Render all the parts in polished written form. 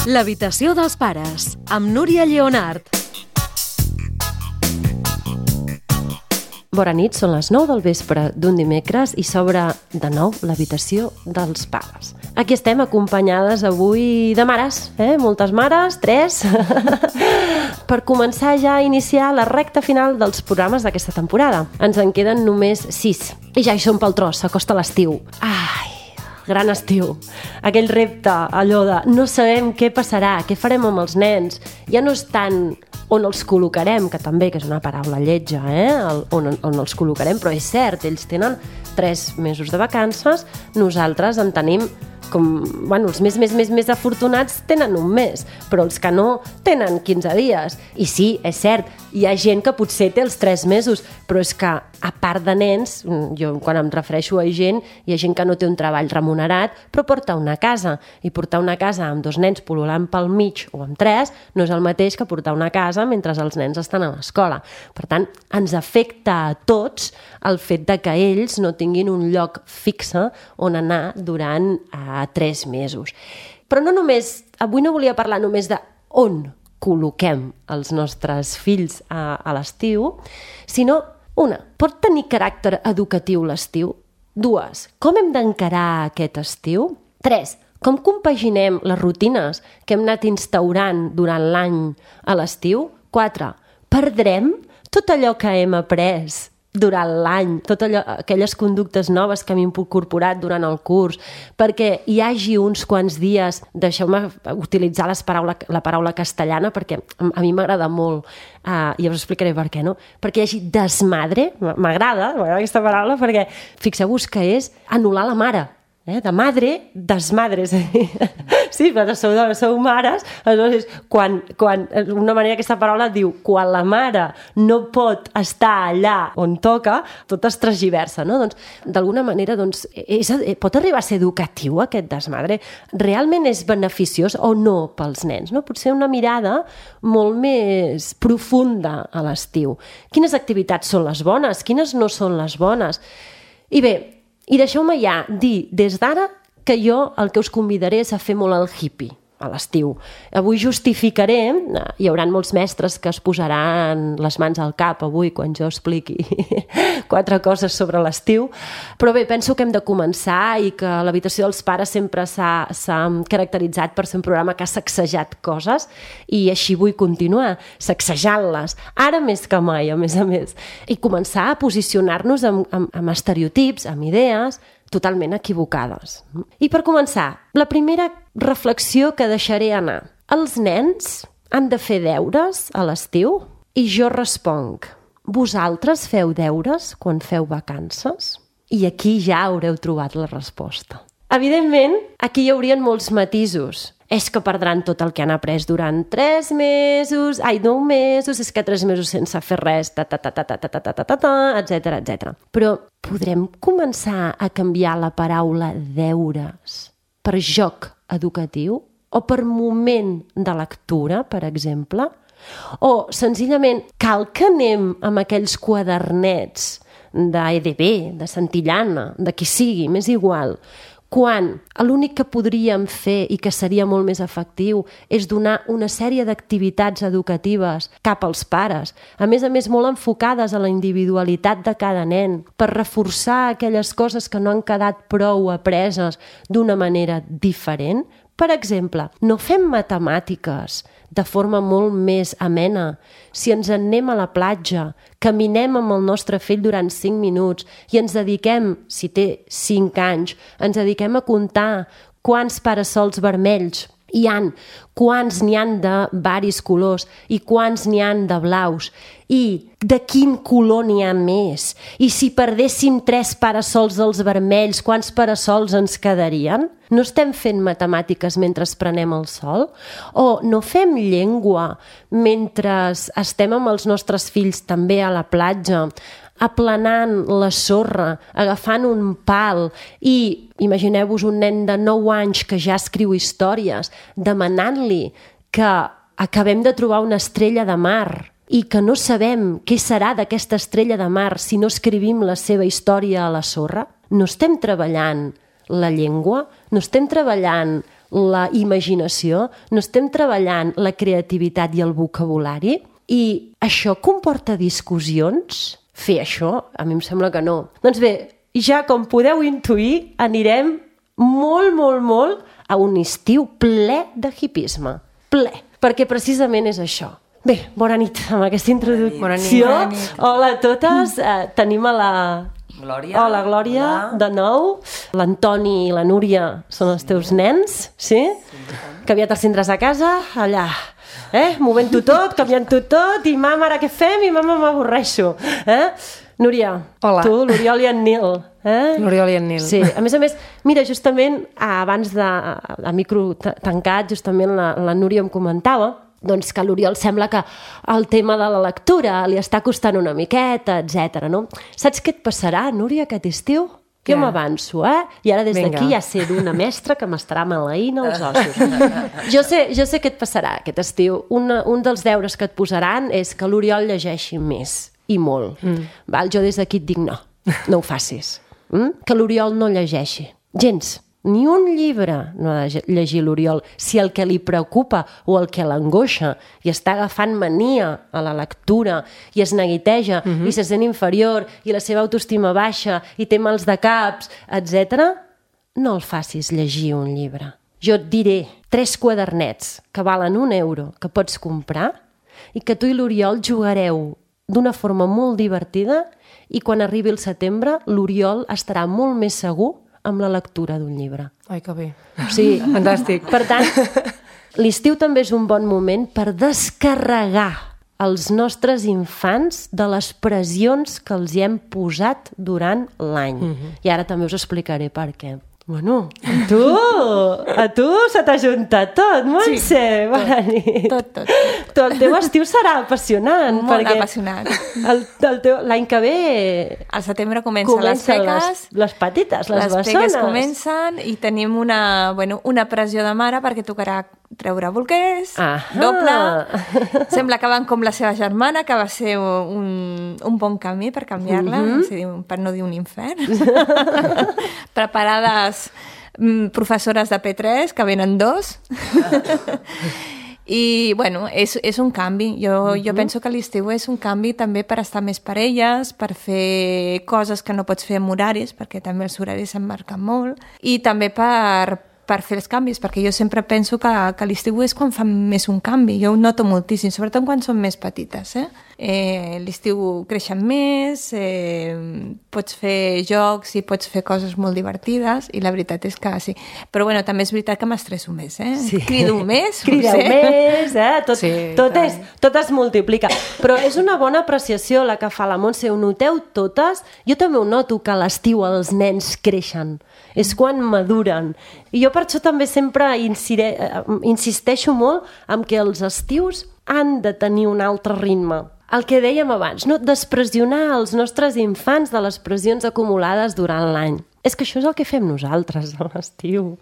L'habitació dels pares, amb Núria Lleonart. Bona nit, són les 9 del vespre d'un dimecres i s'obre de nou l'habitació dels pares. Aquí estem acompanyades avui de mares, moltes mares, 3, per començar ja a iniciar la recta final dels programes d'aquesta temporada. Ens en queden només 6 i ja hi som pel tros, s'acosta l'estiu. Ai, gran estiu, aquell repte, allò de no sabem què passarà, què farem amb els nens, ja no és tant on els col·locarem, que també que és una paraula lletja, on els col·locarem, però és cert, ells tenen 3 mesos de vacances, nosaltres en tenim els més afortunats tenen un mes, però els que no tenen 15 dies. I sí, és cert, hi ha gent que potser té els 3 mesos, però és que a part de nens, jo quan em refereixo a gent, hi ha gent que no té un treball remunerat, però porta una casa. I portar una casa amb 2 nens pul·lulant pel mig o amb 3 no és el mateix que portar una casa mentre els nens estan a l'escola. Per tant, ens afecta a tots el fet de que ells no tinguin un lloc fixe on anar durant 3 mesos. Però no només, avui no volia parlar només de on col·loquem els nostres fills a l'estiu, sinó, 1, pot tenir caràcter educatiu l'estiu? 2, com hem d'encarar aquest estiu? 3, com compaginem les rutines que hem anat instaurant durant l'any a l'estiu? 4, perdrem tot allò que hem après durant l'any, aquelles conductes noves que hem incorporat durant el curs, perquè hi hagi uns quants dies, deixeu-me utilitzar la paraula castellana, perquè a mi m'agrada molt, i us explicaré per què, no? Perquè hi hagi desmadre, m'agrada aquesta paraula, perquè fixeu-vos que és anul·lar la mare, de madre, desmadre. Sí, però sou mares, aleshores, quan una manera aquesta paraula diu, quan la mare no pot estar allà on toca, tot es transgiversa, no? Doncs, d'alguna manera, pot arribar a ser educatiu aquest desmadre? Realment és beneficiós o no pels nens? No? Potser una mirada molt més profunda a l'estiu. Quines activitats són les bones? Quines no són les bones? I bé, i deixeu-me ja dir des d'ara que jo el que us convidaré és a fer molt el hippie a l'estiu. Avui justificaré, hi haurà molts mestres que es posaran les mans al cap avui quan jo expliqui 4 coses sobre l'estiu, però bé, penso que hem de començar i que l'habitació dels pares sempre s'ha caracteritzat per ser un programa que ha sacsejat coses i així vull continuar, sacsejant-les, ara més que mai, a més, i començar a posicionar-nos amb estereotips, amb idees totalment equivocades. I per començar, la primera reflexió que deixaré anar. Els nens han de fer deures a l'estiu? I jo responc, vosaltres feu deures quan feu vacances? I aquí ja haureu trobat la resposta. Evidentment, aquí hi haurien molts matisos. És que perdran tot el que han après durant 9 mesos, és que 3 mesos sense fer res, etc. Però podrem començar a canviar la paraula deures per joc educatiu o per moment de lectura, per exemple? O senzillament cal que anem amb aquells quadernets d'EDB, de Santillana, de qui sigui, m'és igual, quan l'únic que podríem fer i que seria molt més efectiu és donar una sèrie d'activitats educatives cap als pares, a més molt enfocades a la individualitat de cada nen, per reforçar aquelles coses que no han quedat prou apreses d'una manera diferent. Per exemple, no fem matemàtiques de forma molt més amena. Si ens en anem a la platja, caminem amb el nostre fill durant 5 minuts i ens dediquem, si té 5 anys, ens dediquem a comptar quants parasols vermells hi han, quants n'hi han de varis colors i quants n'hi han de blaus i de quin color n'hi ha més. I si perdéssim 3 parasols dels vermells, quants parasols ens quedarien? No estem fent matemàtiques mentre prenem el sol? O no fem llengua mentre estem amb els nostres fills també a la platja, aplanant la sorra, agafant un pal i imagineu-vos un nen de 9 anys que ja escriu històries, demanant-li que acabem de trobar una estrella de mar i que no sabem què serà d'aquesta estrella de mar si no escrivim la seva història a la sorra? No estem treballant la llengua? No estem treballant la imaginació, no estem treballant la creativitat i el vocabulari, i això comporta discussions? Fer això? A mi em sembla que no. Doncs bé, ja com podeu intuir, anirem molt a un estiu ple de hipisme. Ple. Perquè precisament és això. Bé, bona nit, amb aquesta introducció. Bona nit. Hola a totes. Tenim a la Glòria. Hola, Glòria, de nou. L'Antoni i la Núria són els teus nens, sí? Que aviat els tindràs a casa, allà, movent-ho tot, canviant-ho tot, i mama, ara què fem? I mama, m'avorreixo. Núria, hola. Tu, l'Oriol i en Nil. L'Oriol i en Nil. Sí, a més, mira, justament abans a micro tancat, justament la Núria em comentava doncs que a l'Oriol sembla que el tema de la lectura li està costant una miqueta, etc. no? Saps què et passarà, Núria, aquest estiu? Jo m'avanço, I ara des d'aquí ja sé d'una mestra que m'estarà maleint els ossos. Jo sé què et passarà aquest estiu. Un dels deures que et posaran és que l'Oriol llegeixi més, i molt. Val? Jo des d'aquí et dic no ho facis. Que l'Oriol no llegeixi. Gens. Ni un llibre no ha de llegir l'Oriol si el que li preocupa o el que l'angoixa i està agafant mania a la lectura i es neguiteja i se sent inferior i la seva autoestima baixa i té mals de caps, etc., no el facis llegir un llibre. Jo et diré 3 quadernets que valen €1 que pots comprar i que tu i l'Oriol jugareu d'una forma molt divertida i quan arribi el setembre l'Oriol estarà molt més segur amb la lectura d'un llibre. Ai, que bé. Sí, fantàstic. Per tant, l'estiu també és un bon moment per descarregar els nostres infants de les pressions que els hi hem posat durant l'any. I ara també us explicaré per què. Bueno, a tu se t'ha juntat tot, Montse, bona nit. Tot. El teu estiu serà apassionant. Molt apassionant. L'any que ve... Al setembre comencen les peques. Les petites, les bessones. Les peques comencen i tenim una pressió de mare perquè tocarà treure bolquers, doble. Sembla que van com la seva germana, que va ser un bon camí per canviar-la, per no dir un infern. Preparades professores de P3, que venen 2. I, bueno, és un canvi. Jo penso que l'estiu és un canvi també per estar més per elles, per fer coses que no pots fer amb horaris, perquè també els horaris s'emmarquen molt, i també per fer els canvis, perquè jo sempre penso que l'estiu és quan fan més un canvi. Jo ho noto moltíssim, sobretot quan són més petites. L'estiu creixen més, pots fer jocs i pots fer coses molt divertides, i la veritat és que sí. Però bueno, també és veritat que m'estresso més, Sí. Crido més. Crideu més, tot es multiplica. Però és una bona apreciació la que fa la Montse, ho noteu totes? Jo també ho noto, que a l'estiu els nens creixen. És quan maduren. I jo per això també sempre insisteixo molt en que els estius han de tenir un altre ritme. El que dèiem abans, no despressionar els nostres infants de les pressions acumulades durant l'any. És que això és el que fem nosaltres a l'estiu.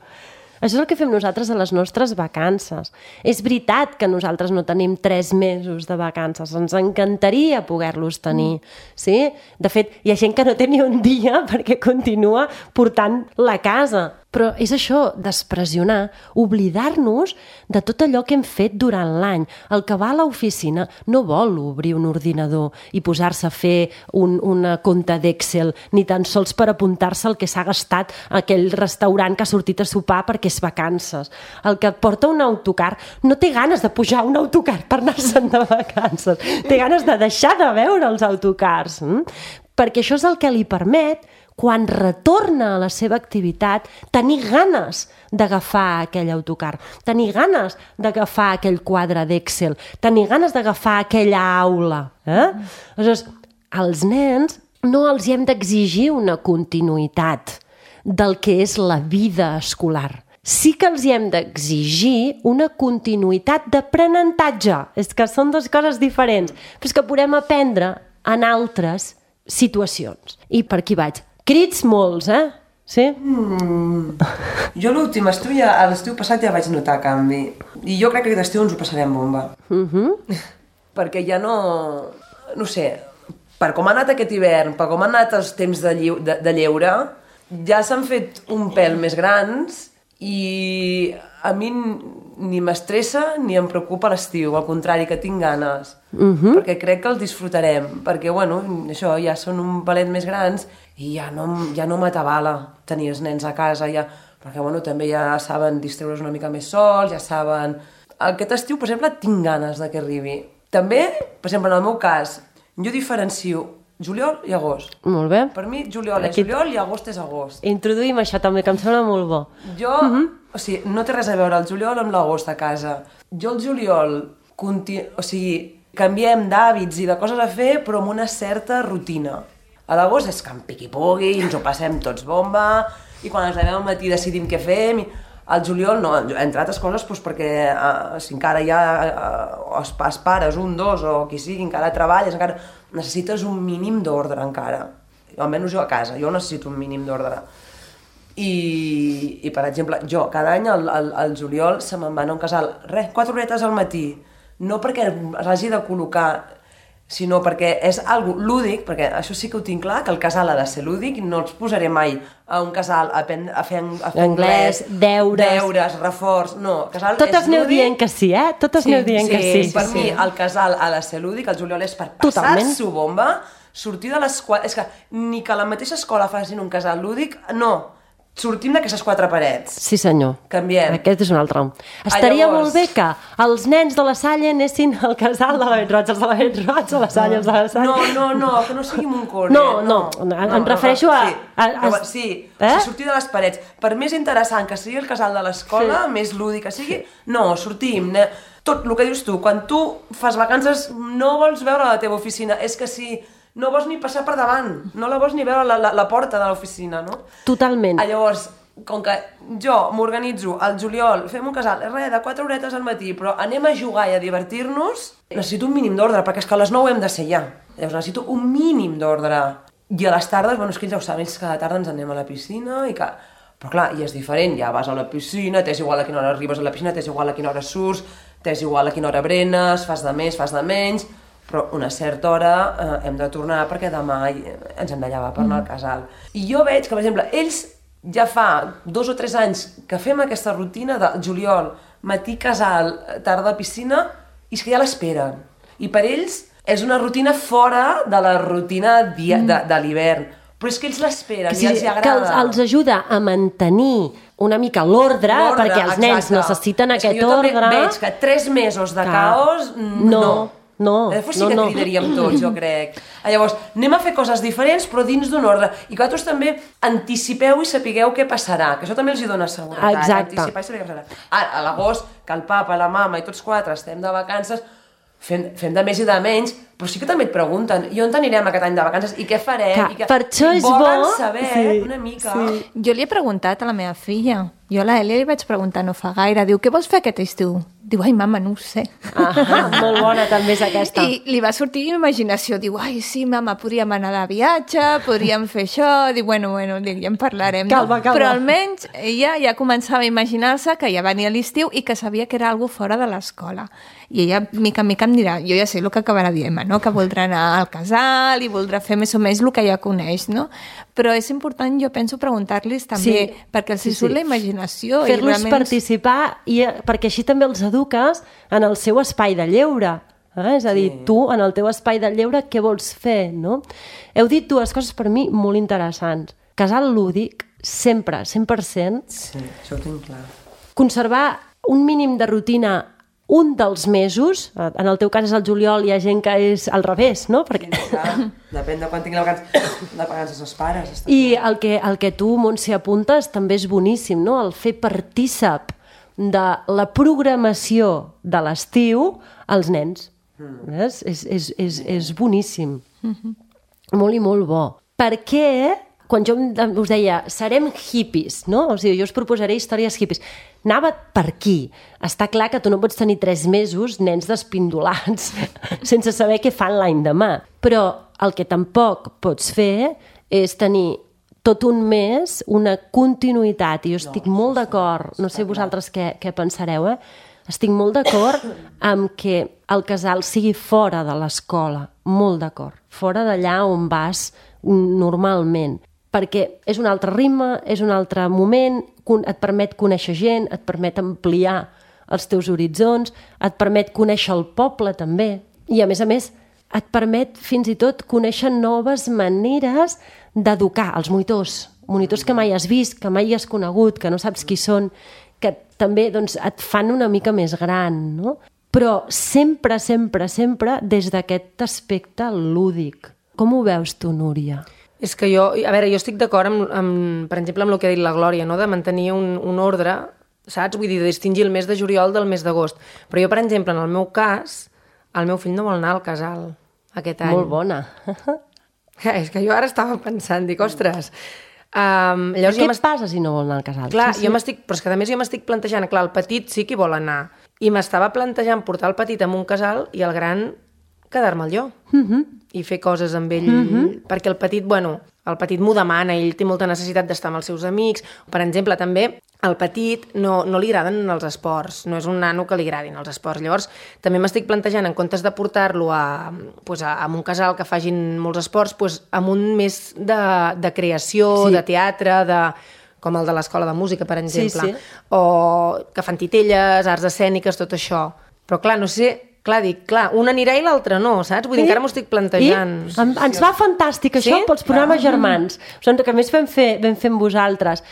Això és el que fem nosaltres a les nostres vacances. És veritat que nosaltres no tenim 3 mesos de vacances. Ens encantaria poder-los tenir. Sí? De fet, hi ha gent que no té ni un dia perquè continua portant la casa. Però és això, despressionar, oblidar-nos de tot allò que hem fet durant l'any. El que va a l'oficina no vol obrir un ordinador i posar-se a fer una compta d'Excel, ni tan sols per apuntar-se el que s'ha gastat a aquell restaurant que ha sortit a sopar perquè és vacances. El que porta un autocar no té ganes de pujar a un autocar per anar-se'n de vacances. Té ganes de deixar de veure els autocars. Perquè això és el que li permet, quan retorna a la seva activitat, tenir ganes d'agafar aquell autocar, tenir ganes d'agafar aquell quadre d'Excel, tenir ganes d'agafar aquella aula. Aleshores, als nens no els hem d'exigir una continuïtat del que és la vida escolar. Sí que els hem d'exigir una continuïtat d'aprenentatge. És que són 2 coses diferents, però és que podem aprendre en altres situacions. I per aquí vaig. Crits molts, Sí? Jo l'últim estiu, a l'estiu passat ja vaig notar canvi. I jo crec que aquest estiu ens ho passarem bomba. Perquè ja no sé, per com ha anat aquest hivern, per com han anat els temps de lleure, ja s'han fet un pèl més grans I a mi ni m'estressa ni em preocupa l'estiu, al contrari, que tinc ganes, perquè crec que els disfrutarem, perquè, bueno, això, ja són un palet més grans i ja no m'atabala tenir els nens a casa, ja, perquè, bueno, també ja saben distreure's una mica més sols, ja saben... Aquest estiu, per exemple, tinc ganes de que arribi. També, per exemple, en el meu cas, jo diferencio juliol i agost. Molt bé. Per mi, juliol és juliol i agost és agost. Introduïm això també, que em sembla molt bo. Jo, o sigui, no té res a veure el juliol amb l'agost a casa. Jo el juliol, o sigui, canviem d'hàbits i de coses a fer, però amb una certa rutina. A l'agost és que em piqui-pugui, ens ho passem tots bomba, i quan ens llevem al matí decidim què fem. Al juliol no, entre altres coses, doncs perquè si encara hi ha els pares, un, dos, o qui sigui, encara treballes, encara necessites un mínim d'ordre encara. Almenys jo a casa, jo necessito un mínim d'ordre. I, per exemple, jo cada any al juliol se me'n va anar a un casal, 4 horetes al matí, no perquè s'hagi de col·locar, sinó perquè és algo lúdic, perquè això sí que ho tinc clar, que el casal ha de ser lúdic, no els posaré mai a un casal a fer anglès, deures, reforç, no, el casal totes és lúdic. Aneu dient que sí, eh? Totes aneu dient que sí. Per mi el casal ha de ser lúdic, el juliol és per passar-s'ho bomba, sortir de l'escola, és que ni que a la mateixa escola facin un casal lúdic, no, sortim d'aquestes 4 parets. Sí, senyor. Canviem. Aquest és un altre. Estaria molt bé que els nens de la Salle anessin al casal de la Bet-roig, els de la Bet-roig, a la Salle, els de la Salle. No, que no sigui un cor. No, em refereixo a... Sí, sortir de les parets. Per més interessant que sigui el casal de l'escola, més lúdic que sigui, no, sortim. Tot el que dius tu, quan tu fas vacances no vols veure la teva oficina, és que si... no vols ni passar per davant, no la vols ni veure la porta de l'oficina, no? Totalment. Llavors, com que jo m'organitzo al juliol, fem un casal, de 4 horetes al matí, però anem a jugar i a divertir-nos, necessito un mínim d'ordre, perquè és que a les 9 hem de ser ja. Llavors necessito un mínim d'ordre. I a les tardes, bueno, és que ells ja ho saben, ells cada tarda ens anem a la piscina i que... Però clar, i és diferent, ja vas a la piscina, t'és igual a quina hora arribes a la piscina, t'és igual a quina hora surts, t'és igual a quina hora berenes, fas de més, fas de menys... però una certa hora hem de tornar perquè demà ens hem de llevar per anar al casal. I jo veig que, per exemple, ells ja fa 2 o 3 anys que fem aquesta rutina de juliol, matí casal, tarda piscina, i és que ja l'esperen. I per ells és una rutina fora de la rutina de l'hivern. Però és que ells l'esperen i els agrada. Que els ajuda a mantenir una mica l'ordre, perquè els nens necessiten aquest ordre. Jo també veig que 3 mesos de caos, no. Llavors sí que cridaríem tots, jo crec. Llavors, anem a fer coses diferents, però dins d'un ordre. I que vosaltres també anticipeu i sapigueu què passarà, que això també els hi dona seguretat. Exacte. Anticipar i saber què passarà. Ara, a l'agost, que el papa, la mama i tots 4 estem de vacances, fem de més i de menys, però sí que també et pregunten, i on anirem aquest any de vacances, i què farem? Per això és bo... Volen saber una mica. Jo li he preguntat a la meva filla, jo a la Elia li vaig preguntar no fa gaire, diu, què vols fer aquest estiu? Diu, ai, mama, no ho sé. Molt bona també és aquesta. I li va sortir imaginació, diu, ai, sí, mama, podríem anar de viatge, podríem fer això, diu, bueno, dic, ja en parlarem. Calma. Però almenys ella ja començava a imaginar-se que ja venia l'estiu i que sabia que era algo fora de l'escola. I ella, mica en mica, em dirà, jo ja sé el que acabarà dient, no? Que voldrà anar al casal i voldrà fer més o menys el que ja coneix, no? Però és important, jo penso, preguntar-los també, perquè els surt la imaginació. Fer-los participar, perquè així també els eduques en el seu espai de lleure. És a dir, tu, en el teu espai de lleure, què vols fer, no? Heu dit 2 coses per mi molt interessants. Casal lúdic, sempre, 100%. Sí, això ho tinc clar. Conservar un mínim de rutina un dels mesos, en el teu cas és el juliol, hi ha gent que és al revés, no? Perquè... Depèn de quan tinguin de vacances els pares. I el que tu, Montse, apuntes també és boníssim, no? El fer partícip de la programació de l'estiu als nens. És boníssim. Molt i molt bo. Per què... Quan jo us deia, serem hippies, no? O sigui, jo us proposaré històries hippies. Anava per aquí. Està clar que tu no pots tenir 3 mesos nens despindolats sense saber què fan l'any demà. Però el que tampoc pots fer és tenir tot un mes una continuïtat. I jo estic molt d'acord, no sé vosaltres què pensareu, estic molt d'acord amb que el casal sigui fora de l'escola. Molt d'acord. Fora d'allà on vas normalment. Perquè és un altre ritme, és un altre moment, et permet conèixer gent, et permet ampliar els teus horitzons, et permet conèixer el poble també, i a més, et permet fins i tot conèixer noves maneres d'educar els monitors que mai has vist, que mai has conegut, que no saps qui són, que també doncs, et fan una mica més gran, no? Però sempre, sempre, sempre des d'aquest aspecte lúdic. Com ho veus tu, Núria? És que jo estic d'acord per exemple, amb el que ha dit la Glòria, no? De mantenir un ordre, saps? Vull dir, de distingir el mes de juliol del mes d'agost. Però jo, per exemple, en el meu cas, el meu fill no vol anar al casal aquest any. Molt bona. És que jo ara estava pensant, dic, ostres... Llavors què passa si no vol anar al casal? Clar, però és que a més jo m'estic plantejant, clar, el petit sí que vol anar, i m'estava plantejant portar el petit a un casal i el gran quedar-me'l jo i fer coses amb ell, perquè el petit m'ho demana, ell té molta necessitat d'estar amb els seus amics. Per exemple, també al petit no li agraden els esports, no és un nano que li agradin els esports. Llavors, també m'estic plantejant, en comptes de portar-lo a un casal que facin molts esports, amb un més de creació, de teatre, com el de l'escola de música, per exemple, o que fan titelles, arts escèniques, tot això. Però clar, no sé... Clar, un anirà i l'altre no, saps? Vull dir, encara m'ho estic plantejant. Ens va fantàstic això pels programes germans. Que a més vam fer amb vosaltres.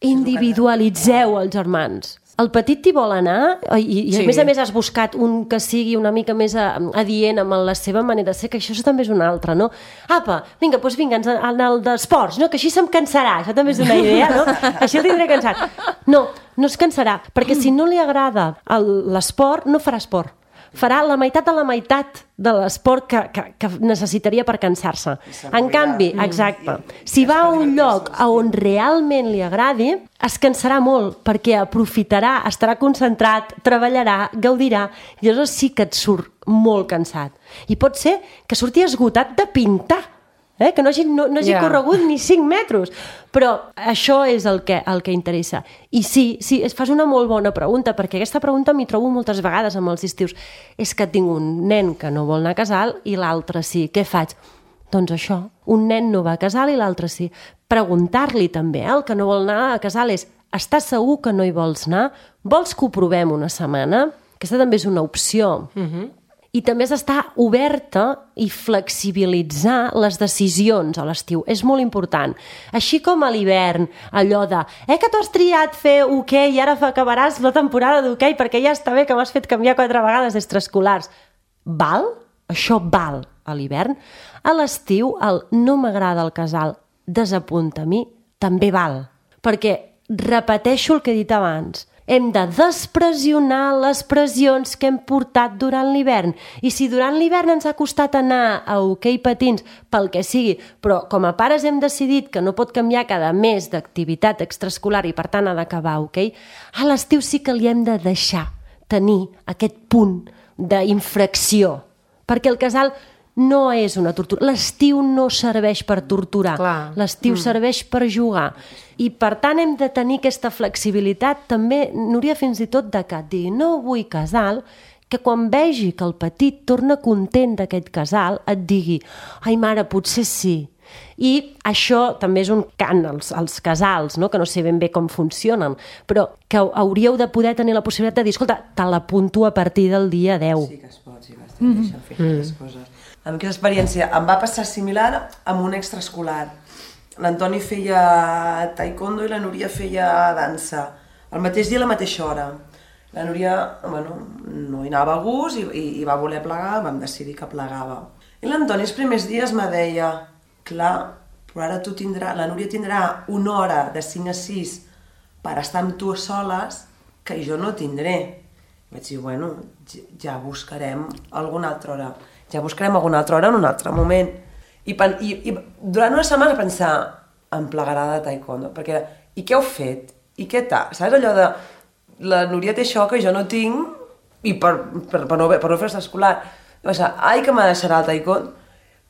Individualitzeu els germans. El petit t'hi vol anar i a més has buscat un que sigui una mica més adient amb la seva manera de ser, que això també és una altra, no? Apa, vinga, en el d'esports, no? Que així se'm cansarà, això també és una idea, no? Així el tindré cansat. No es cansarà, perquè si no li agrada l'esport, no farà esport. Farà la meitat de l'esport que necessitaria per cansar-se. En canvi, exacte, si va a un lloc on realment li agradi, es cansarà molt, perquè aprofitarà, estarà concentrat, treballarà, gaudirà, i llavors sí que et surt molt cansat. I pot ser que surti esgotat de pintar, que no hagi corregut ni 5 metres. Però això és el que interessa. I sí, fas una molt bona pregunta, perquè aquesta pregunta m'hi trobo moltes vegades amb els estius. És que tinc un nen que no vol anar a casal i l'altre sí. Què faig? Doncs això, un nen no va a casal i l'altre sí. Preguntar-li també, el que no vol anar a casal és: estàs segur que no hi vols anar? Vols que ho provem una setmana? Aquesta també és una opció. I també és estar oberta i flexibilitzar les decisions a l'estiu. És molt important. Així com a l'hivern, allò de que tu has triat fer hoquei i ara acabaràs la temporada d'hoquei perquè ja està bé que m'has fet canviar 4 vegades d'extraescolars. Val? Això val a l'hivern. A l'estiu, el no m'agrada el casal, desapunta a mi, també val. Perquè repeteixo el que he dit abans. Hem de despressionar les pressions que hem portat durant l'hivern. I si durant l'hivern ens ha costat anar a hoquei patins, pel que sigui, però com a pares hem decidit que no pot canviar cada mes d'activitat extraescolar i per tant ha d'acabar hoquei, a l'estiu sí que li hem de deixar tenir aquest punt d'infracció. Perquè el casal no és una tortura. L'estiu no serveix per torturar. L'estiu serveix per jugar. I per tant hem de tenir aquesta flexibilitat també, Núria, fins i tot de que dir no vull casal, que quan vegi que el petit torna content d'aquest casal et digui: ai mare, potser sí. I això també és un cant als casals, no? Que no sé ben bé com funcionen, però que hauríeu de poder tenir la possibilitat de dir: escolta, te l'apunto a partir del dia 10. Sí que es pot, sí que es deixen fer aquestes coses. Amb aquesta experiència em va passar similar amb un extraescolar. L'Antoni feia taekwondo i la Núria feia dansa. El mateix dia a la mateixa hora. La Núria, no hi anava a gust i va voler plegar, vam decidir que plegava. I l'Antoni els primers dies me deia: clar, però ara la Núria tindrà una hora de 5 a 6 per estar amb tu soles que jo no tindré. I vaig dir, ja buscarem alguna altra hora. Ja buscarem alguna altra hora en un altre moment. I durant una setmana pensar: em plegarà de taekwondo, perquè i què heu fet? I què tal? Saps allò de la Núria té això que jo no tinc i per no fer escolar. Ai, que me deixarà el taekwondo.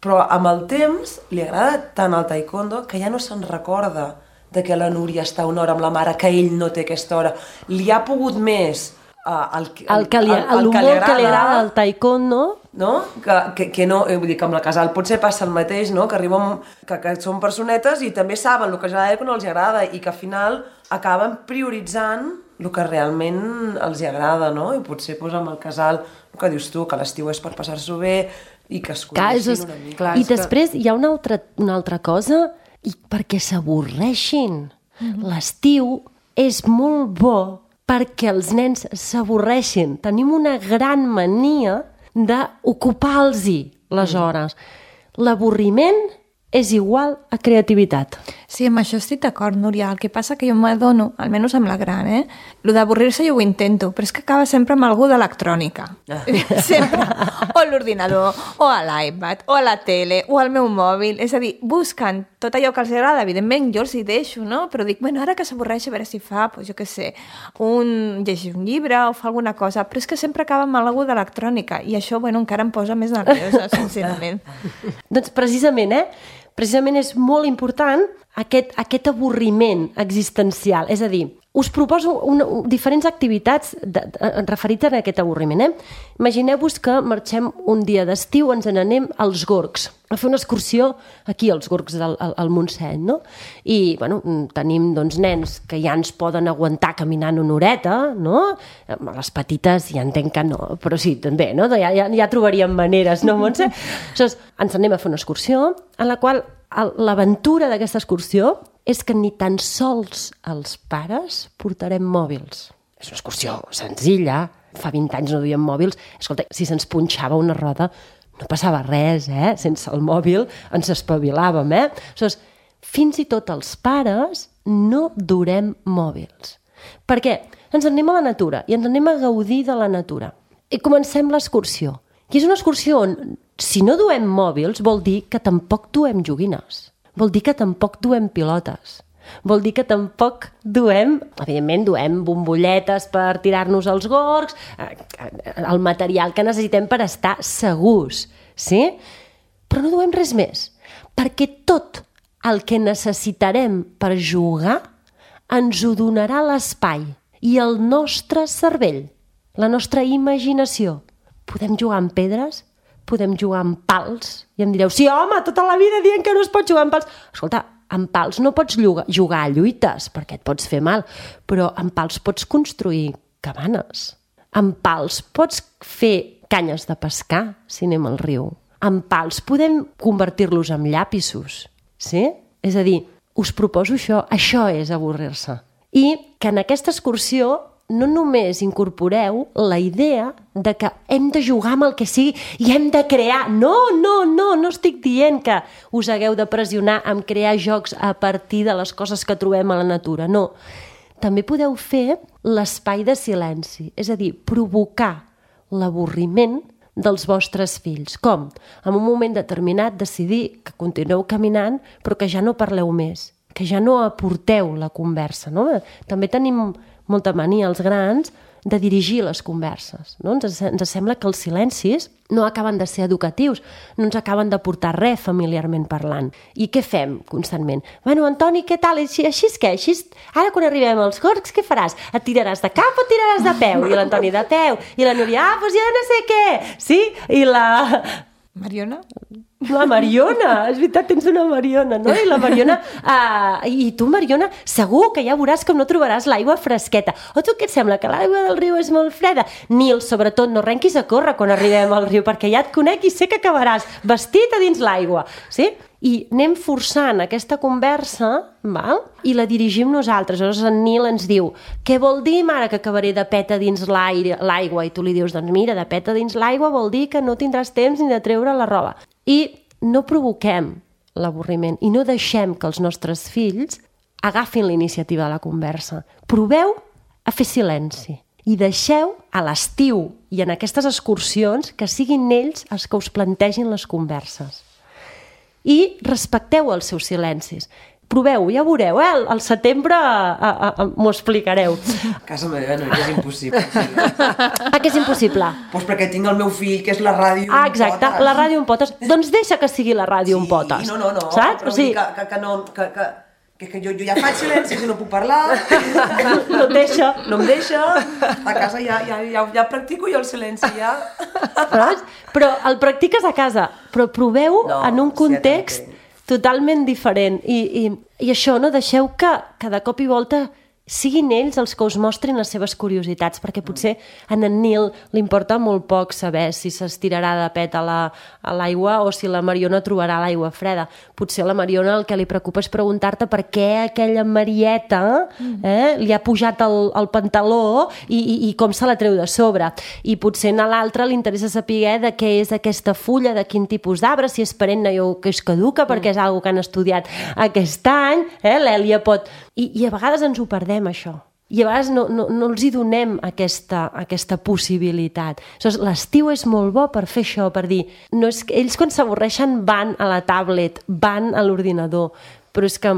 Però amb el temps li agrada tant el taekwondo que ja no se'n recorda de que la Núria està una hora amb la mare, que ell no té aquesta hora. Li ha pogut més el que li agrada el taekwondo no? Que no, vull dir que amb la Casal potser passa el mateix, no? Que arriben, que són personetes i també saben el que els agrada i el que no els agrada i que al final acaben prioritzant el que realment els agrada, no? I potser amb el Casal, el que dius tu, que l'estiu és per passar-s'ho bé i que es coneixin una mica. I després hi ha una altra cosa, i perquè s'avorreixin. L'estiu és molt bo perquè els nens s'avorreixin. Tenim una gran mania d'ocupar-los-hi les hores. L'avorriment és igual a creativitat. Sí, amb això estic d'acord, Núria. El que passa que jo m'adono, almenys amb la gran, lo d'avorrir-se jo ho intento, però és que acaba sempre amb algú d'electrònica. Sempre. O a l'ordinador, o a l'iPad, o a la tele, o al meu mòbil. És a dir, busquen tot allò que els agrada. Evidentment, jo els hi deixo, no? Però dic, bueno, ara que s'avorreix, a veure si fa, doncs jo què sé, llegir un llibre o fa alguna cosa. Però és que sempre acaba amb algú d'electrònica. I això, bueno, encara em posa més nerviosa, sincerament. Doncs precisament és molt important aquest avorriment existencial. És a dir, us proposo diferents activitats referides a aquest avorriment. Imagineu-vos que marxem un dia d'estiu, ens n'anem als Gorgs, a fer una excursió aquí als Gorgs al Montseny, no? I, bueno, tenim nens que ja ens poden aguantar caminant una horeta, no? Les petites ja entenc que no, però sí, també, no? Ja trobaríem maneres, no, Montse? Aleshores, ens anem a fer una excursió en la qual l'aventura d'aquesta excursió és que ni tan sols els pares portarem mòbils. És una excursió senzilla, fa 20 anys no duíem mòbils. Escolta, si se'ns punxava una roda no passava res, sense el mòbil ens espavilàvem, Aleshores, fins i tot els pares no durem mòbils. Per què? Ens anem a la natura i ens anem a gaudir de la natura. I comencem l'excursió. I és una excursió on, si no duem mòbils, vol dir que tampoc duem joguines. Vol dir que tampoc duem pilotes. Vol dir que tampoc evidentment duem bombolletes per tirar-nos als gorgs, el material que necessitem per estar segurs, sí? Però no duem res més, perquè tot el que necessitarem per jugar ens ho donarà l'espai i el nostre cervell, la nostra imaginació. Podem jugar amb pedres, podem jugar amb pals, i em direu, sí, home, tota la vida dient que no es pot jugar amb pals. Escolta, amb pals no pots jugar a lluites, perquè et pots fer mal, però amb pals pots construir cabanes. Amb pals pots fer canyes de pescar, si anem al riu. Amb pals podem convertir-los en llapisos, sí? És a dir, us proposo això és avorrir-se. I que en aquesta excursió no només incorporeu la idea de que hem de jugar amb el que sigui i hem de crear. No estic dient que us hagueu de pressionar en crear jocs a partir de les coses que trobem a la natura, no. També podeu fer l'espai de silenci, és a dir, provocar l'avorriment dels vostres fills. Com? En un moment determinat decidir que continueu caminant però que ja no parleu més, que ja no aporteu la conversa, no? També tenim molta mania als grans de dirigir les converses, no? Ens sembla que els silencis no acaben de ser educatius, no ens acaben de portar res familiarment parlant. I què fem constantment? Bueno, Antoni, què tal? Així és què? Ara quan arribem als gorgs, què faràs? Et tiraràs de cap o tiraràs de peu? I l'Antoni de peu. I la Núria, doncs jo no sé què. Sí? I la... Mariona? La Mariona, és veritat, tens una Mariona, no? I la Mariona, i tu, Mariona, segur que ja veuràs com no trobaràs l'aigua fresqueta. O tu què et sembla, que l'aigua del riu és molt freda? Nil, sobretot, no arrenquis a córrer quan arribem al riu, perquè ja et conec i sé que acabaràs vestit a dins l'aigua, sí? I anem forçant aquesta conversa, val? I la dirigim nosaltres. Llavors en Nil ens diu, què vol dir, mare, que acabaré de peta dins l'aigua? I tu li dius, doncs mira, de peta dins l'aigua vol dir que no tindràs temps ni de treure la roba. I no provoquem l'avorriment i no deixem que els nostres fills agafin la iniciativa de la conversa. Proveu a fer silenci i deixeu a l'estiu i en aquestes excursions que siguin ells els que us plantegin les converses. I respecteu els seus silencis. Proveu, ja veureu, al setembre m'ho explicareu. A casa meva no, és impossible. Que és impossible? Doncs perquè tinc el meu fill, que és la ràdio en potes. Exacte, la ràdio en potes. Doncs deixa que sigui la ràdio en potes. No, saps? però vull dir que no... que jo ja faig silenci i no puc parlar. No et deixa. No em deixa. A casa ja practico jo el silenci, ja. Però el practiques a casa, però proveu en un context totalment diferent. I això, no? Deixeu que de cop i volta siguin ells els que us mostrin les seves curiositats, perquè potser a en Nil li importa molt poc saber si s'estirarà de pet a l'aigua o si la Mariona trobarà l'aigua freda. Potser a la Mariona el que li preocupa és preguntar-te per què aquella Marieta li ha pujat el pantaló i com se la treu de sobre. I potser a l'altre li interessa saber de què és aquesta fulla, de quin tipus d'arbre, si és perenne o que és caduca, perquè és una que han estudiat aquest any. L'Èlia pot... I a vegades ens ho perdem, això. I a vegades no els hi donem aquesta possibilitat. L'estiu és molt bo per fer això, per dir... No és que ells quan s'avorreixen van a la tablet, van a l'ordinador, però és que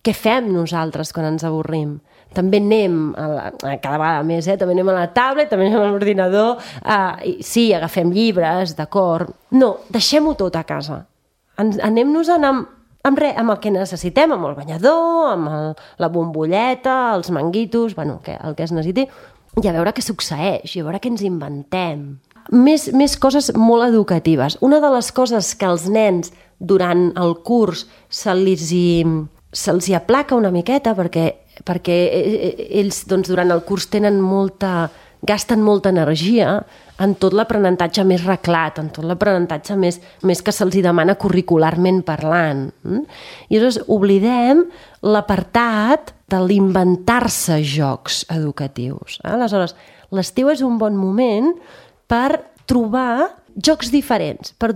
què fem nosaltres quan ens avorrim? També anem, cada vegada més, també anem a la tablet, també anem a l'ordinador, sí, agafem llibres, d'acord. No, deixem-ho tot a casa. Anem-nos-en amb el que necessitem, amb el banyador, amb la bombolleta, els manguitos, el que es necessiti, i a veure què succeeix, i a veure què ens inventem. Més coses molt educatives. Una de les coses que als nens durant el curs se'ls hi aplaca una miqueta, perquè ells durant el curs gasten molta energia en tot l'aprenentatge més reclat, en tot l'aprenentatge més que se'ls demana curricularment parlant. I llavors oblidem l'apartat de l'inventar-se jocs educatius. Aleshores, l'estiu és un bon moment per trobar jocs diferents, per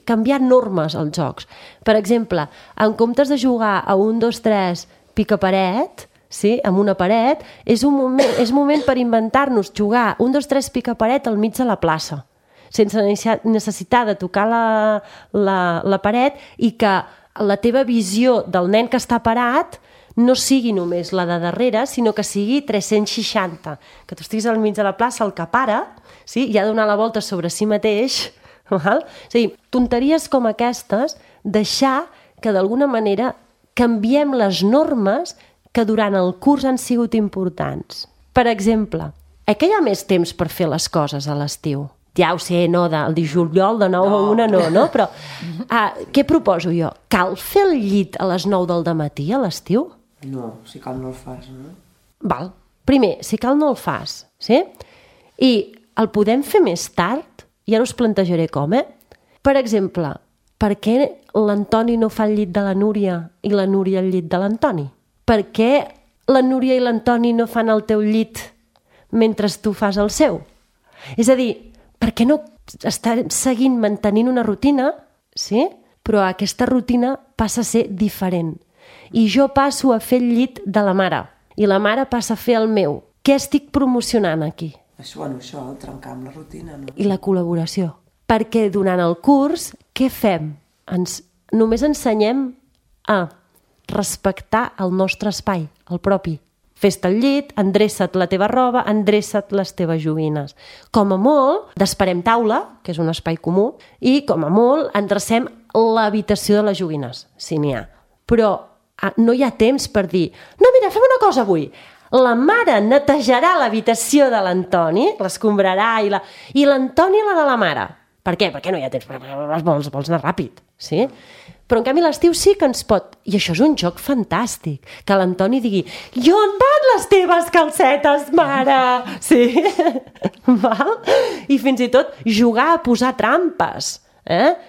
canviar normes als jocs. Per exemple, en comptes de jugar a 1, 2, 3, pica-paret, sí, amb una paret, és moment per inventar-nos jugar 1, 2, 3 pica-paret al mig de la plaça, sense necessitar de tocar la paret i que la teva visió del nen que està parat no sigui només la de darrere, sinó que sigui 360, que tu estiguis al mig de la plaça, el que para, sí, i ha de donar la volta sobre si mateix. Val? És a dir, tonteries com aquestes, deixar que d'alguna manera canviem les normes que durant el curs han sigut importants. Per exemple, que hi ha més temps per fer les coses a l'estiu? Ja ho sé, no, el de juliol de 9 a 1 no, però què proposo jo? Cal fer el llit a les 9 del dematí a l'estiu? No, si cal no el fas, no? Val. Primer, si cal no el fas, sí? I el podem fer més tard? I ara us plantejaré com, Per exemple, per què l'Antoni no fa el llit de la Núria i la Núria el llit de l'Antoni? Per què la Núria i l'Antoni no fan el teu llit mentre tu fas el seu? És a dir, per què no estem seguint mantenint una rutina, sí? Però aquesta rutina passa a ser diferent. I jo passo a fer el llit de la mare, i la mare passa a fer el meu. Què estic promocionant aquí? Això, trencar amb la rutina, no? I la col·laboració. Perquè durant el curs, què fem? Només ensenyem a respectar el nostre espai, el propi. Fes-te el llit, endreça't la teva roba, endreça't les teves joguines. Com a molt, desperem taula, que és un espai comú, i com a molt endrecem l'habitació de les joguines, si n'hi ha. Però no hi ha temps per dir no, mira, fem una cosa avui. La mare netejarà l'habitació de l'Antoni, l'escombrarà, i l'Antoni la de la mare. Per què? Perquè no hi ha temps, vols anar ràpid, sí? Però en canvi l'estiu sí que ens pot... I això és un joc fantàstic, que l'Antoni digui i on van les teves calcetes, mare? Sí? Val? I fins i tot jugar a posar trampes.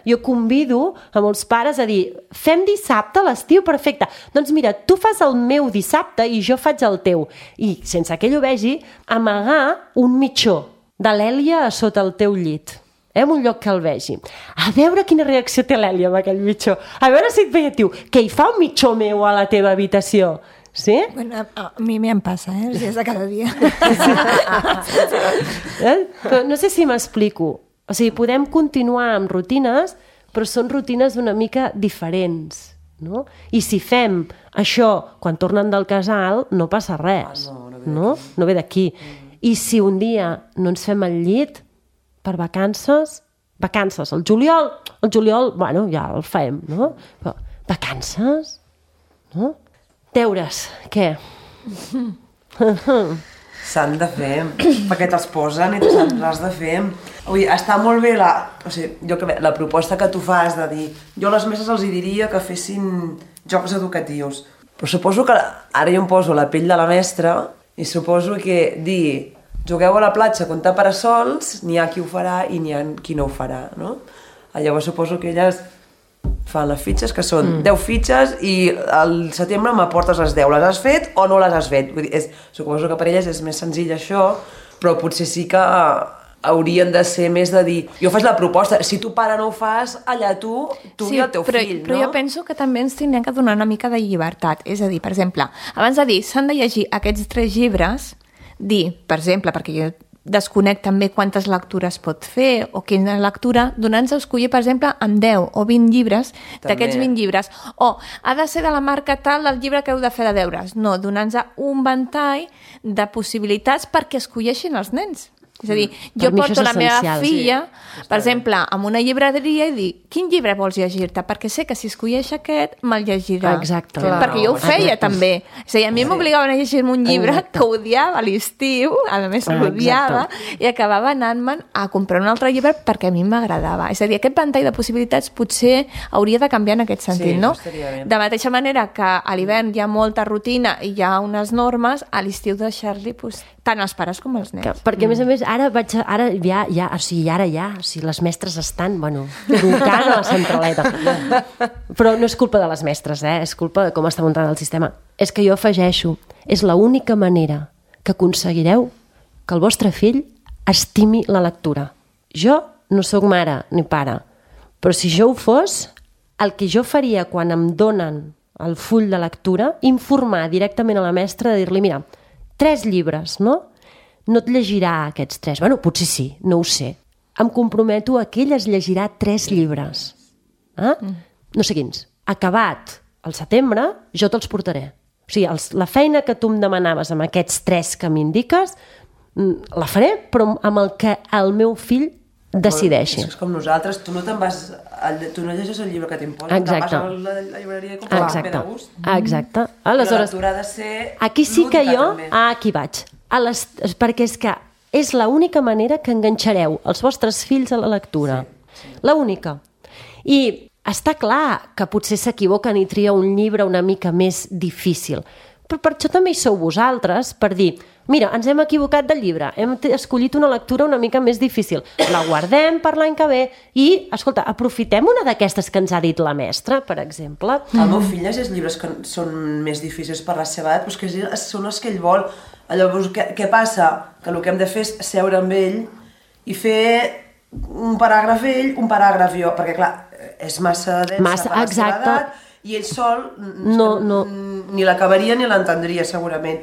Jo convido a molts pares a dir fem dissabte a l'estiu, perfecte. Doncs mira, tu fas el meu dissabte i jo faig el teu. I sense que ell ho vegi, amagar un mitjó de l'Èlia a sota el teu llit. En un lloc que el vegi. A veure quina reacció té l'Èlia amb aquell mitjó. A veure si et veia, tio, que hi fa un mitjó meu a la teva habitació. Sí? Bueno, a mi em passa, els dies de cada dia. Però no sé si m'explico. O sigui, podem continuar amb rutines, però són rutines una mica diferents. No? I si fem això quan tornen del casal, no passa res. No ve d'aquí. I si un dia no ens fem el llit, per vacances, el juliol, bueno, ja el fem, no? Però vacances, no? Deures, què? S'han de fer, perquè te'ls posen i l'has de fer. Vull dir, està molt bé la proposta que tu fas de dir... Jo a les mestres els diria que fessin jocs educatius. Però suposo que ara jo em poso la pell de la mestra i suposo que dir jugueu a la platja a comptar parasols, n'hi ha qui ho farà i n'hi ha qui no ho farà, no? Llavors suposo que elles fan les fitxes, que són 10 fitxes i al setembre m'aportes les 10. Les has fet o no les has fet? Vull dir, suposo que per elles és més senzill això, però potser sí que haurien de ser més de dir... Jo faig la proposta, si tu pare no ho fas, allà tu i el teu fill, no? Però jo penso que també ens tindrem que donar una mica de llibertat. És a dir, per exemple, abans de dir s'han de llegir aquests 3 llibres, dir, per exemple, perquè jo desconec també quantes lectures pot fer o quina lectura, donant-nos a escollir, per exemple, amb 10 o 20 llibres, d'aquests 20 llibres. O ha de ser de la marca tal del llibre que heu de fer de deures. No, donant-nos un ventall de possibilitats perquè escolleixin els nens. És a dir, jo porto la meva filla, per exemple, amb una llibreria i dic, quin llibre vols llegir-te? Perquè sé que si escolleix aquest, me'l llegirà. Exacte. Perquè jo ho feia també. És a dir, a mi m'obligaven a llegir-me un llibre que odiava a l'estiu, a més l'odiava, i acabava anant-me'n a comprar un altre llibre perquè a mi m'agradava. És a dir, aquest ventall de possibilitats potser hauria de canviar en aquest sentit, no? De mateixa manera que a l'hivern hi ha molta rutina i hi ha unes normes, a l'estiu deixar-li tant els pares com els nens. Perquè, a més, ara les mestres estan, trucant a la centraleta. Però no és culpa de les mestres, és culpa de com està muntat el sistema. És que jo afegeixo, és l'única manera que aconseguireu que el vostre fill estimi la lectura. Jo no sóc mare ni pare, però si jo ho fos, el que jo faria quan em donen el full de lectura, informar directament a la mestra de dir-li, mira, 3 llibres, no? No et llegirà aquests 3. Potser sí, no ho sé. Em comprometo a que ella es llegirà 3 llibres. No sé quins. Acabat el setembre, jo te'ls portaré. O sigui, la feina que tu em demanaves amb aquests 3 que m'indiques, la faré, però amb el que el meu fill decideixi. És com nosaltres, tu no llegeixes el llibre que t'imposen, te'n vas a la llibreria i compres el de gust. Exacte. Però la lectura ha de ser aquí sí que jo, aquí vaig. Perquè és que és l'única manera que enganxareu els vostres fills a la lectura. L'única. I està clar que potser s'equivoquen i tria un llibre una mica més difícil. Però per això també hi sou vosaltres, per dir, mira, ens hem equivocat del llibre, hem escollit una lectura una mica més difícil, la guardem per l'any que ve i, escolta, aprofitem una d'aquestes que ens ha dit la mestra, per exemple. El meu fill llegeix llibres que són més difícils per la seva edat, però que són els que ell vol. Llavors, què passa? Que el que hem de fer és seure amb ell i fer un paràgraf ell, un paràgraf jo, perquè clar, és massa densa per la seva edat, i ell sol ni l'acabaria ni l'entendria segurament.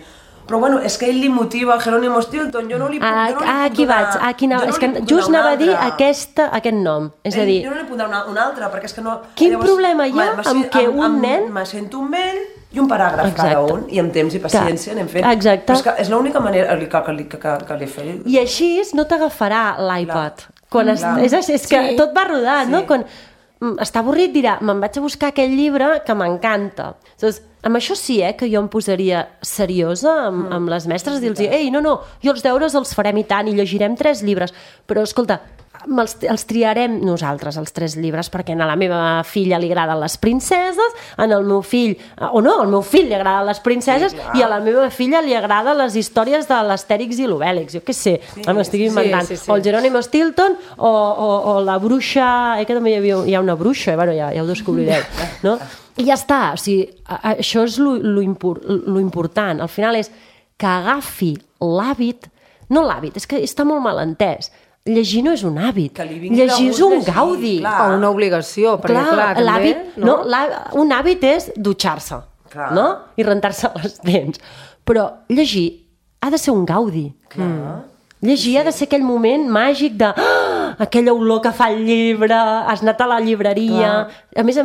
Però bueno, és que ell li motiva el Jerónimo Stilton, jo no li puc donar... Aquí vaig, és que just anava a dir aquest nom, és a dir... Jo no li puc donar un altre, perquè és que no... Quin problema hi ha amb que un nen... Me sento amb ell i un paràgraf cada un, i amb temps i paciència anem fent. Exacte. Però és que és l'única manera que li faré. I així no t'agafarà l'iPad. És que tot va rodant, no? Quan està avorrit dirà, me'n vaig a buscar aquell llibre que m'encanta. Amb això sí, que jo em posaria seriosa amb les mestres, dir-los, ei, no, jo els deures els farem i tant, i llegirem 3 llibres, però escolta, els triarem nosaltres, els 3 llibres, perquè a la meva filla li agraden les princeses, al meu fill, al meu fill li agraden les princeses, i a la meva filla li agraden les històries de l'Astèrix i l'Obèlix, jo què sé, m'estic inventant, o el Jerónimo Stilton, o la bruixa, que també hi ha una bruixa, ja ho descobrireu, no? I ja està, o sigui, això és lo important, al final és que agafi l'hàbit, no l'hàbit, és que està molt mal entès, llegir no és un hàbit, llegir és un gaudi. O una obligació, perquè clar, també... Un hàbit és dutxar-se, i rentar-se les dents, però llegir ha de ser un gaudi. Llegir ha de ser aquell moment màgic de aquella olor que fa el llibre, has anat a la llibreria... A més,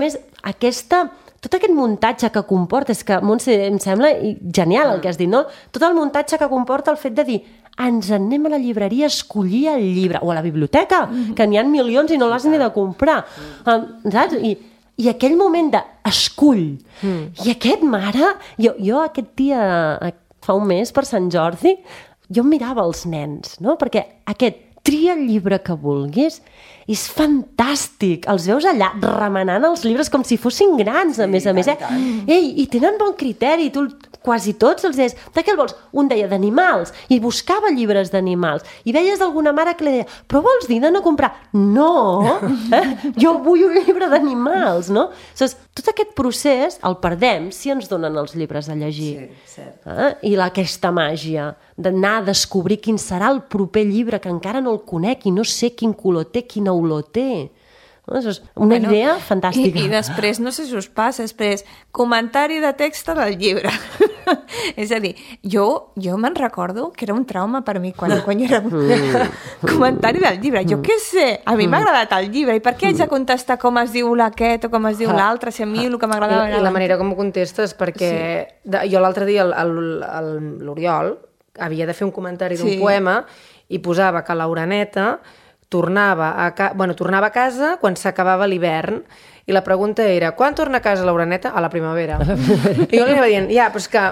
tot aquest muntatge que comporta, és que, Montse, em sembla genial el que has dit, no? Tot el muntatge que comporta el fet de dir ens anem a la llibreria a escollir el llibre, o a la biblioteca, que n'hi ha milions i no l'has ni de comprar. Saps? I I aquell moment d'escull. I aquest, mare... Jo aquest dia, fa un mes, per Sant Jordi, jo mirava els nens, no? Perquè aquest tria el llibre que vulguis, és fantàstic. Els veus allà remenant els llibres com si fossin grans, a més. Ei, i tenen bon criteri. Tu quasi tots els deies, de què el vols? Un deia d'animals, i buscava llibres d'animals. I veies alguna mare que li deia, però vols dir de no comprar? No! Jo vull un llibre d'animals, no? Tot aquest procés el perdem si ens donen els llibres a llegir. Sí, cert. I aquesta màgia d'anar a descobrir quin serà el proper llibre que encara no el conec i no sé quin color té, quina olor té. És una idea fantàstica. I després, no sé si us passa, després, comentari de text del llibre. És a dir, jo me'n recordo que era un trauma per mi quan jo era... Comentari del llibre. Jo què sé, a mi m'ha agradat el llibre, i per què haig de contestar com es diu aquest o com es diu l'altre, si a mi el que m'agradava era... I la manera com ho contestes, perquè jo l'altre dia, l'Oriol, havia de fer un comentari d'un poema i posava que l'Uraneta tornava a casa quan s'acabava l'hivern, i la pregunta era, quan torna a casa l'Uraneta? A la primavera. I jo li anava dient, però és que,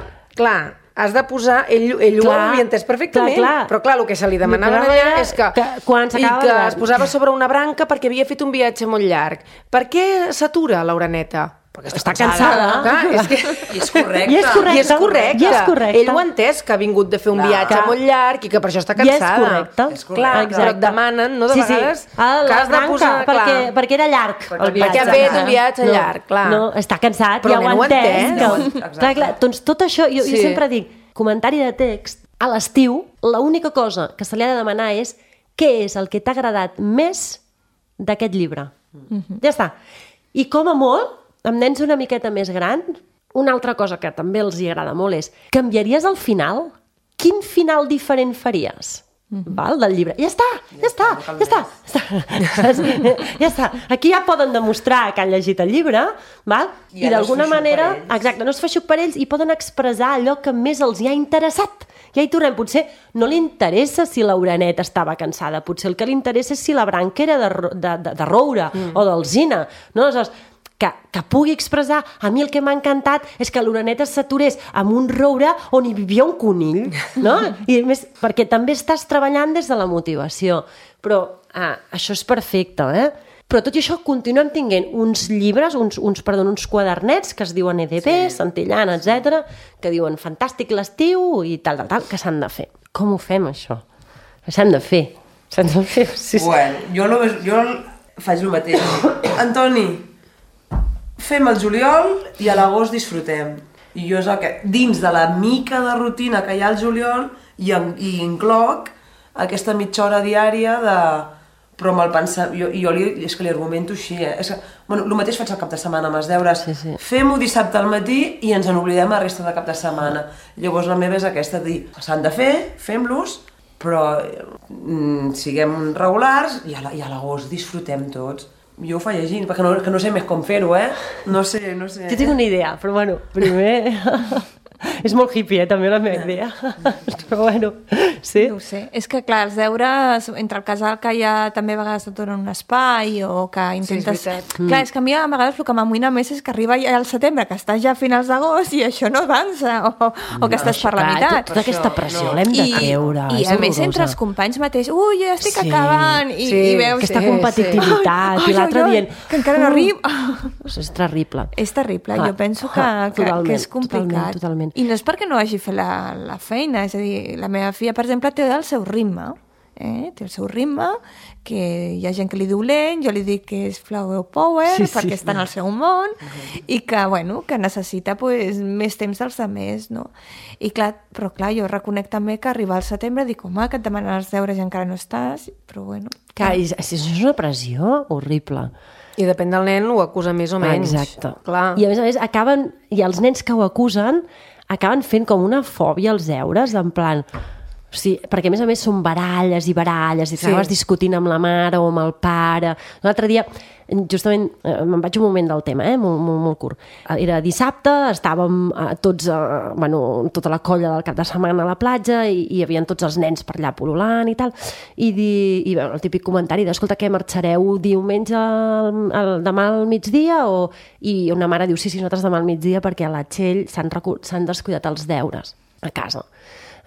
clar, has de posar... Ell ho havia entès perfectament, però clar, el que se li demanava allà és que es posava sobre una branca perquè havia fet un viatge molt llarg. Per què s'atura l'Uraneta? Perquè està cansada. I és correcte. I és correcte. Ell ho ha entès, que ha vingut de fer un viatge molt llarg i que per això està cansada. I és correcte. Clar, però et demanen, no, de vegades, que has de posar... Perquè era llarg el viatge. Perquè ha fet un viatge llarg, clar. No, està cansat, ja ho ha entès. Clar, doncs tot això, jo sempre dic, comentari de text, a l'estiu, l'única cosa que se li ha de demanar és què és el que t'ha agradat més d'aquest llibre. Ja està. I com a molt, amb nens una miqueta més gran, una altra cosa que també els hi agrada molt és, canviaries el final? Quin final diferent faries? Del llibre. Ja està. Aquí ja poden demostrar que han llegit el llibre, i d'alguna manera, exacte, no es fa xuc per ells, i poden expressar allò que més els hi ha interessat. Ja hi tornem, potser no li interessa si l'Uraneta estava cansada, potser el que li interessa és si la branca era de roure o d'alzina, no? Que pugui expressar, a mi el que m'ha encantat és que l'Uraneta s'aturés amb un roure on hi vivia un conill, no? I més, perquè també estàs treballant des de la motivació. Però això és perfecte, Però tot i això continuem tenint uns llibres, uns quadernets que es diuen EDB, Santillana, etc, que diuen fantàstic l'estiu i tal, que s'han de fer. Com ho fem, això? S'han de fer. Bueno, jo faig el mateix. Antoni, fem el juliol i a l'agost disfrutem. I jo és el que, dins de la mica de rutina que hi ha al juliol, i incloc aquesta mitja hora diària de... Però amb el pensar... És que li argumento així, el mateix faig el cap de setmana amb els deures. Fem-ho dissabte al matí i ens en oblidem la resta de cap de setmana. Llavors la meva és aquesta, dir, s'han de fer, fem-los, però siguem regulars i a l'agost disfrutem tots. Jo ho faig llegint, perquè no sé més com fer-ho, No sé. Jo tinc una idea, però bueno, primer... És molt hippie, també, la meva idea. Però bueno, sí. No ho sé. És que, clar, els deures, entre el casal que ja també a vegades et donen un espai o que intentes... Sí, és veritat. Clar, és que a mi a vegades el que m'amoïna més és que arriba ja al setembre, que estàs ja a finals d'agost i això no avança, o que estàs per la meitat. Tota aquesta pressió l'hem de treure. I a més, entre els companys mateix, ja estic acabant, i veus... Aquesta competitivitat, i l'altre dient... Que encara no arribo. És terrible. És terrible, jo penso que és complicat. Totalment. I no és perquè no hagi fet la feina, és a dir, la meva filla, per exemple, té el seu ritme, té el seu ritme, que hi ha gent que li diu lent, jo li dic que és flower power, perquè està en el seu món, i que, bueno, que necessita més temps dels altres, no? I clar, jo reconec també que arribar al setembre dic, home, que et demanen els deures i encara no estàs, però bueno... Clar, és una pressió horrible. I depèn del nen, ho acusa més o menys. Exacte. Clar. I a més acaben, i els nens que ho acusen acaben fent com una fòbia als deures, en plan, O sigui, perquè a més són baralles i baralles i estaves discutint amb la mare o amb el pare. L'altre dia, justament, me'n vaig un moment del tema, molt curt. Era dissabte, estàvem tots, tota la colla del cap de setmana a la platja i hi havia tots els nens per allà pol·lulant i tal. I el típic comentari escolta, què, marxareu diumenge demà al migdia? I una mare diu, sí, nosaltres demà al migdia perquè a la Txell s'han descuidat els deures a casa.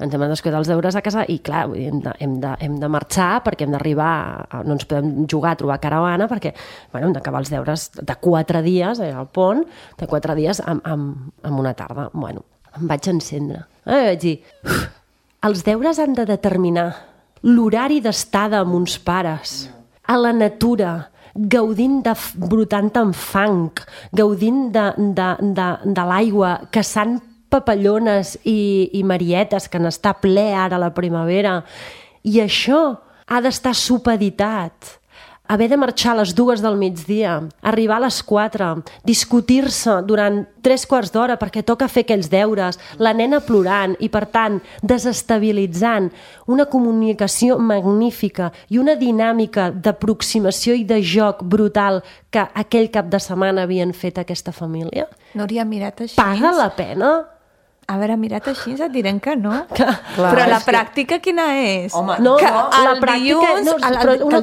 Ens hem descuidat els deures a casa i, clar, hem de marxar perquè hem d'arribar, no ens podem jugar a trobar caravana perquè hem d'acabar els deures de 4 dies al pont, de 4 dies en una tarda. Em vaig encendre. Vaig dir, els deures han de determinar l'horari d'estada amb uns pares, a la natura, gaudint brotant amb fang, gaudint de l'aigua, caçant papallones i marietes, que n'està ple ara a la primavera. I això ha d'estar supeditat. Haver de marxar a les 2 del migdia, arribar a les 4, discutir-se durant 3/4 d'hora perquè toca fer aquells deures, la nena plorant i, per tant, desestabilitzant una comunicació magnífica i una dinàmica d'aproximació i de joc brutal que aquell cap de setmana havien fet aquesta família. Núria, mirat així. Paga la pena? A veure, mirat així et direm que no. Però la pràctica quina és? Home, la pràctica... Una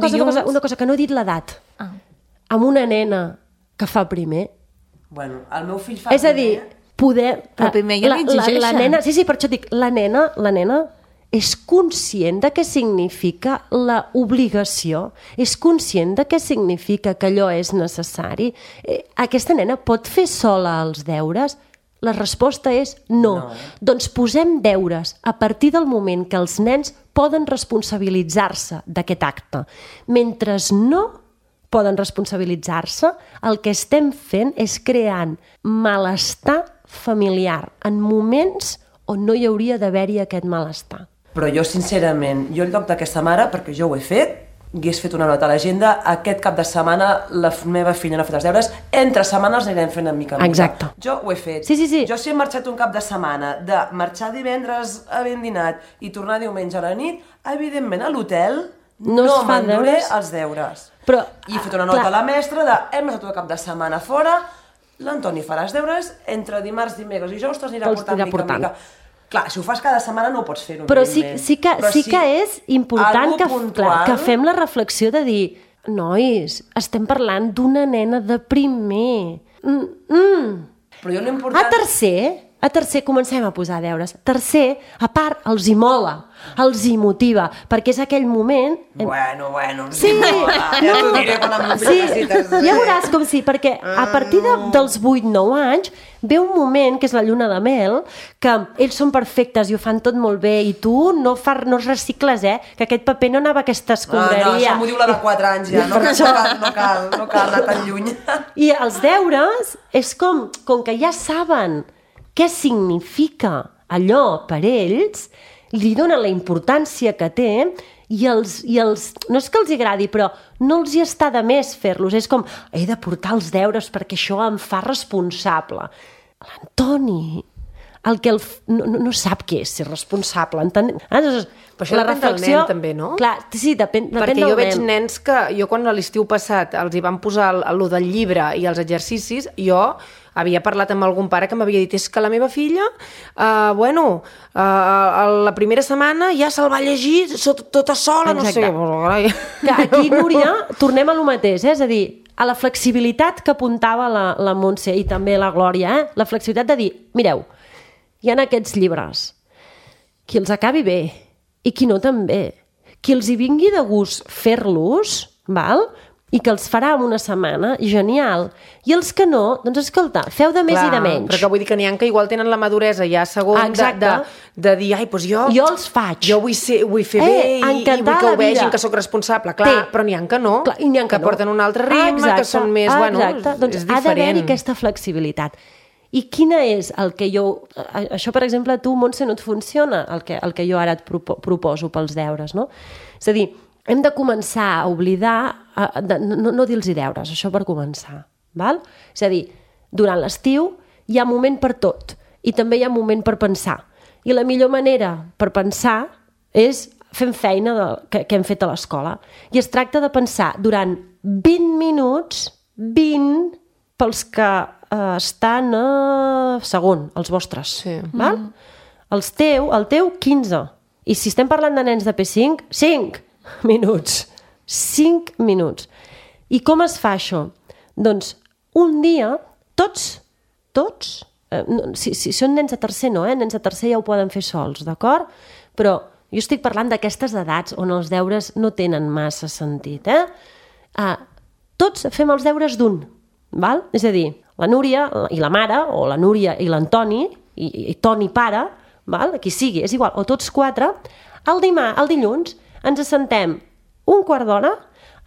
cosa, que no he dit l'edat. Amb una nena que fa primer... Bueno, el meu fill fa primer... És a dir, poder... Però primer ja l'exigeixen. La nena, sí, per això dic, la nena és conscient de què significa l'obligació? És conscient de què significa que allò és necessari? Aquesta nena pot fer sola els deures? La resposta és no. Doncs posem deures a partir del moment que els nens poden responsabilitzar-se d'aquest acte. Mentre no poden responsabilitzar-se, el que estem fent és creant malestar familiar en moments on no hi hauria d'haver-hi aquest malestar. Però jo, sincerament, en lloc d'aquesta mare, perquè jo ho he fet, hagués fet una nota a l'agenda, aquest cap de setmana la meva filla no ha fet els deures, entre setmanes anirem fent en mica en mica. Exacte. Jo ho he fet. Sí. Jo si he marxat un cap de setmana, de marxar divendres havent dinat i tornar diumenge a la nit, evidentment a l'hotel no m'enduré els deures. Però, I he fet una nota a la mestra de hem estat un cap de setmana fora, l'Antoni farà els deures, entre dimarts, dimecres i dijous te'ls anirà portant mica en mica. Clar, si ho fas cada setmana no ho pots fer. Però sí que és important que fem la reflexió de dir nois, estem parlant d'una nena de primer. Però jo l'important... A tercer comencem a posar deures. Tercer, a part, els hi mola, els hi motiva, perquè és aquell moment... Bueno, sí, ja t'ho diré quan em necessites. Ja veuràs com sí, perquè a partir dels 8-9 anys ve un moment, que és la lluna de mel, que ells són perfectes i ho fan tot molt bé i tu no recicles, que aquest paper no anava a aquesta escombraria. No, això m'ho diu la de 4 anys ja, no cal anar tan lluny. I els deures és com que ja saben què significa allò per ells, li donen la importància que té i els, no és que els agradi, però no els hi està de més fer-los. És com, he de portar els deures perquè això em fa responsable. L'Antoni, no sap què és ser responsable. Però això depèn del nen, també, no? Clar, sí, depèn del nen. Perquè jo veig nens que, jo quan a l'estiu passat els hi van posar allò del llibre i els exercicis, jo havia parlat amb algun pare que m'havia dit és que la meva filla, la primera setmana ja se'l va llegir tota sola, exacte. No sé. Que aquí, Núria, tornem a lo mateix, és a dir, a la flexibilitat que apuntava la Montse i també la Glòria, la flexibilitat de dir, mireu, hi ha aquests llibres, qui els acabi bé i qui no també, qui els hi vingui de gust fer-los, val?, i que els farà en una setmana, genial. I els que no, doncs escolta, feu de més i de menys. Però que vull dir que n'hi ha que igual tenen la maduresa ja segon de dir, ai, doncs jo els faig. Jo vull fer bé i vull que ho vegin, que sóc responsable. Clar, però n'hi ha que no, que porten un altre ritme, que són més, doncs és diferent. Ha d'haver-hi aquesta flexibilitat. I quina és el que jo... Això, per exemple, a tu, Montse, no et funciona, el que jo ara et proposo pels deures, no? És a dir, hem de començar a oblidar, no dir-los deures, això per començar, val? És a dir, durant l'estiu hi ha moment per tot i també hi ha moment per pensar. I la millor manera per pensar és fent feina que hem fet a l'escola. I es tracta de pensar durant 20 minuts, 20 pels que estan a segon, els vostres. Sí. Val? El teu 15. I si estem parlant de nens de P5, 5 minuts. 5 minuts. I com es fa això? Doncs un dia, tots, si són nens de tercer no, nens de tercer ja ho poden fer sols, d'acord? Però jo estic parlant d'aquestes edats on els deures no tenen massa sentit, tots fem els deures d'un, val? És a dir, la Núria i la mare, o la Núria i l'Antoni, i Toni pare, val? Qui sigui, és igual, o tots 4, el dilluns ens assentem un quart d'hora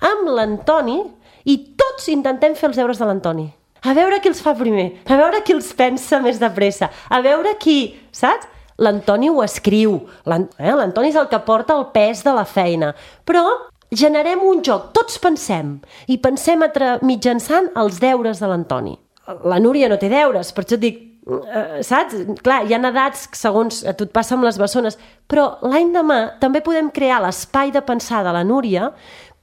amb l'Antoni i tots intentem fer els deures de l'Antoni. A veure qui els fa primer, a veure qui els pensa més de pressa, a veure qui, saps? L'Antoni ho escriu, l'Antoni és el que porta el pes de la feina, però generem un joc, tots pensem, i pensem mitjançant els deures de l'Antoni. La Núria no té deures, per això et dic, saps? Clar, hi ha edats, segons a tu et passa amb les bessones, però l'any demà també podem crear l'espai de pensar de la Núria.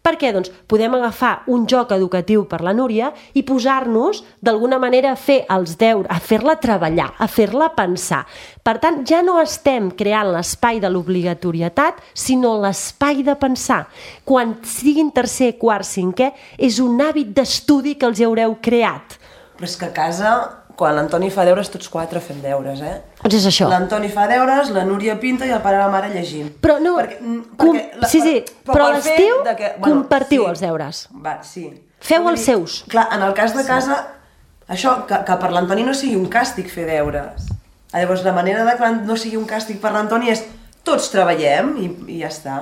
Per què? Doncs podem agafar un joc educatiu per la Núria i posar-nos, d'alguna manera, a fer els deures, a fer-la treballar, a fer-la pensar. Per tant, ja no estem creant l'espai de l'obligatorietat, sinó l'espai de pensar. Quan siguin tercer, quart, cinquè, és un hàbit d'estudi que els haureu creat. Però és que a casa, quan l'Antoni fa deures, tots 4 fem deures, Doncs és això. L'Antoni fa deures, la Núria pinta i el pare i la mare llegim. Però no, però a l'estiu compartiu els deures. Va, sí. Feu els seus. Clar, en el cas de casa, això, que per l'Antoni no sigui un càstig fer deures. Llavors, la manera de que no sigui un càstig per l'Antoni és tots treballem i ja està.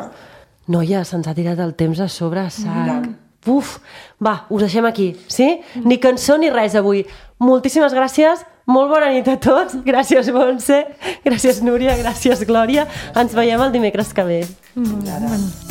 Noia, se'ns ha tirat el temps a sobre, sac. Uf, va, us deixem aquí, sí? Ni cançó ni res avui. Moltíssimes gràcies, molt bona nit a tots. Gràcies, Montse, gràcies, Núria, gràcies, Glòria. Ens veiem el dimecres que ve. Bueno.